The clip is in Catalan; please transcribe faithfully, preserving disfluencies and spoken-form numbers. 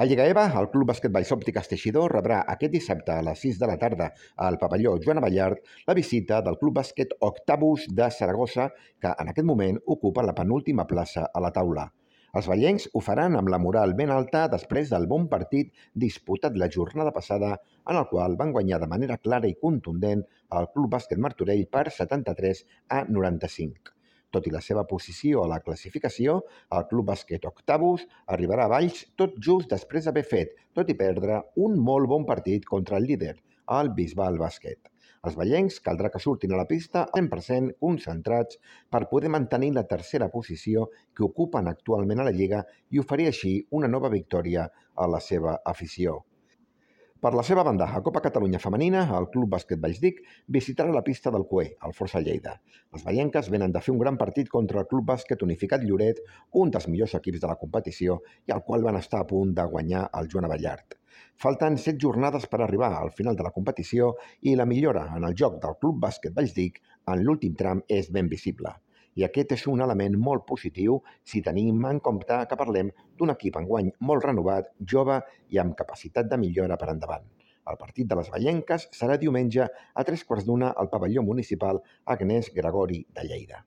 A Lliga EVA, el Club Bàsquet Valls Òptiques Teixidor rebrà aquest dissabte a les sis de la tarda al pavelló Joan Abellart la visita del Club Bàsquet Octavus de Saragossa, que en aquest moment ocupa la penúltima plaça a la taula. Els vallencs ho faran amb la moral ben alta després del bon partit disputat la jornada passada, en el qual van guanyar de manera clara i contundent el Club Bàsquet Martorell per setanta-tres a noranta-cinc. Tot i la seva posició a la classificació, el Club Bàsquet Octavus arribarà a Valls tot just després d'haver fet, tot i perdre, un molt bon partit contra el líder, el Bisbal Bàsquet. Els vallencs caldrà que surtin a la pista cent per cent concentrats per poder mantenir la tercera posició que ocupen actualment a la Lliga i oferir així una nova victòria a la seva afició. Per la seva banda, a Copa Catalunya Femenina, el Club Bàsquet Vallsdic visitarà la pista del Cué, al Força Lleida. Les vallenques venen de fer un gran partit contra el Club Bàsquet Unificat Lloret, un dels millors equips de la competició i al qual van estar a punt de guanyar el Joan Abellart. Falten set jornades per arribar al final de la competició i la millora en el joc del Club Bàsquet Vallsdic en l'últim tram és ben visible. I aquest és un element molt positiu si tenim en compte que parlem d'un equip enguany molt renovat, jove i amb capacitat de millora per endavant. El partit de les vallenques serà diumenge a tres quarts d'una al pavelló municipal Agnès Gregori de Lleida.